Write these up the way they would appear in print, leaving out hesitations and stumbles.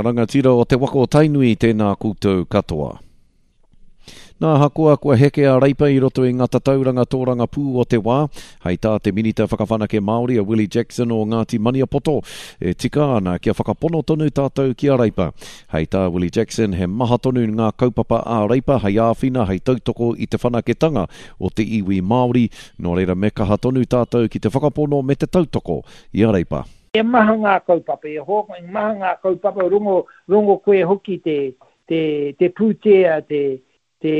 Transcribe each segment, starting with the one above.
rangatira o te waka o Tainui, tēnā koutou katoa. Nā, ahakoa kua heke a Reipa i roto i ngā tatauranga tōrangapū o te wā, hei tā te Minita Whakawhanake Māori a Willie Jackson o Ngāti Maniapoto, e tika ana kia whakapono tonu tātou ki a Reipa. Hei tā Willie Jackson, he maha tonu ngā kaupapa a Reipa hei āwhina, hei tautoko i te whanaketanga o te iwi Māori, nō reira me kaha tonu tātou ki te whakapono me te tautoko i a Reipa. He maha ngā kaupapa, e hoa, he maha ngā kaupapa, rongo, rongo koe hoki te, te, te pūtea, te, te,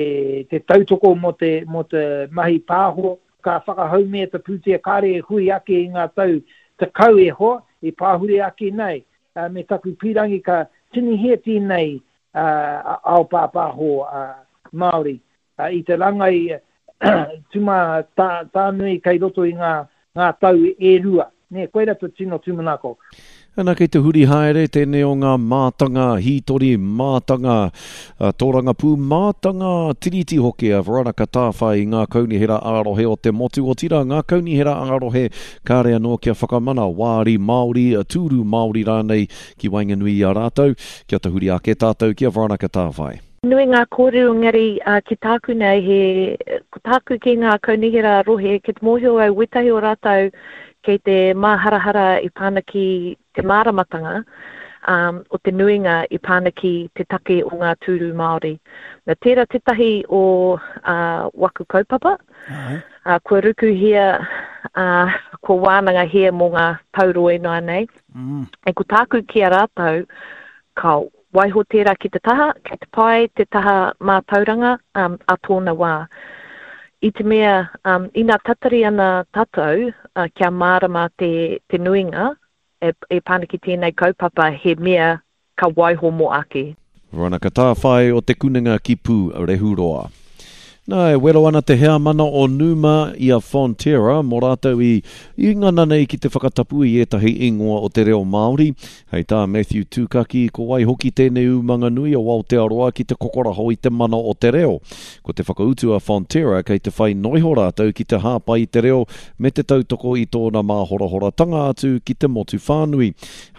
te tautoko mō te, mō te mahi pāho, ka whakahaumia te pūtea kāre e hui ake i ngā tau 10 e hoa, i pāhure ake nei, me taku pīrangi ka tinihia tēnei ao pāpāho Māori. I te rangai tuma tānui kei roto i ngā tau e rua. Nē, koira te tino tūmanako. Ana kei te huri haere tēnei o ngā mātanga hītori, mātanga tōrangapū, mātanga tiriti hoki a Veronica Tāwhai i ngā kaunihera ā-rohe o te motu, otirā ngā kaunihera ā-rohe kāre anō kia whakamana wāri Māori, tūru Māori rānei ki waenganui i a rātou. Kia tahuri ake tātou ki a Veronica Tāwhai. Nui ngā kōrero engari ki tāku nei he, ko tāku ki ngā kaunihera rohe kei te mōhio au wētahi o rātou kei te māharahara i pā ana ki te māramatanga o te nuinga i pā ana ki te take o ngā tūru Māori. Na tērā tētahi o waku kaupapa, kua rukuhia, kua wānangahia mō ngā tau roa ināianei. E ko tāku ki a rātou, ka Waiho tērā ki te taha, kei te pai te taha mātauranga a tōna wā. I te mea, ina tatari ana tātou kia mārama te, te nuinga e, e pā ana ki tēnei kaupapa he mea ka waiho mō ake. Veronica Tāwhai o Te Kunenga ki Pūrehuroa. Nā, e wero ana te heamana o Numa i a Fonterra mō rātou i i ngana nei ki te whakatapu i ētahi ingoa o te reo Māori. Hei tā Matthew Tūkaki, ko wai hoki tēnei umanga nui o Aotearoa ki te kokoraho i te mana o te reo. Ko te whakautu a Fonterra kei te whai noiho rātou ki te hāpai i te reo me te tautoko i tōna māhorahoratanga atu ki te motu whānui.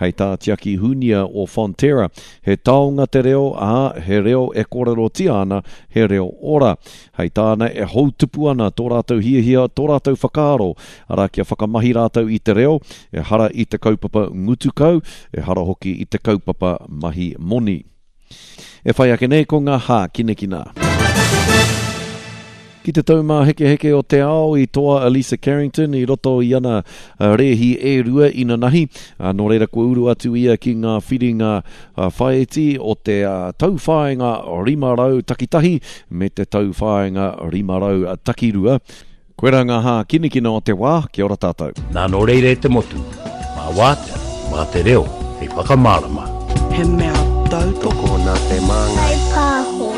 Hei tā Tiaki Hunia o Fonterra, He taonga te reo, ā, he reo e kōrerotia ana, he reo ora. Hei tāna, e houtupu ana tō rātou hiahia, tō rātou whakaaro, arā, kia whakamahi rātou i te reo, ehara i te kaupapa ngutu kau, ehara hoki i te kaupapa mahi moni. E whai ake nei ko ngā hākinakina. Ki te taumāhekeheke o te ao i toa a Lisa Carrington i roto i ana rēhi e rua inanahi, nō reira kua uru atu ia ki ngā whiringa whaiti o te tauwhāinga 500 takitahi me te tauwhāinga 500 takirua. Koirā ngā hākinakina o te wā, kia ora tātou. Nā nō reira e te motu, mā wātea, mā te reo hei whakamārama. He mea tautoko. Tokona te māngai. Whai pāho.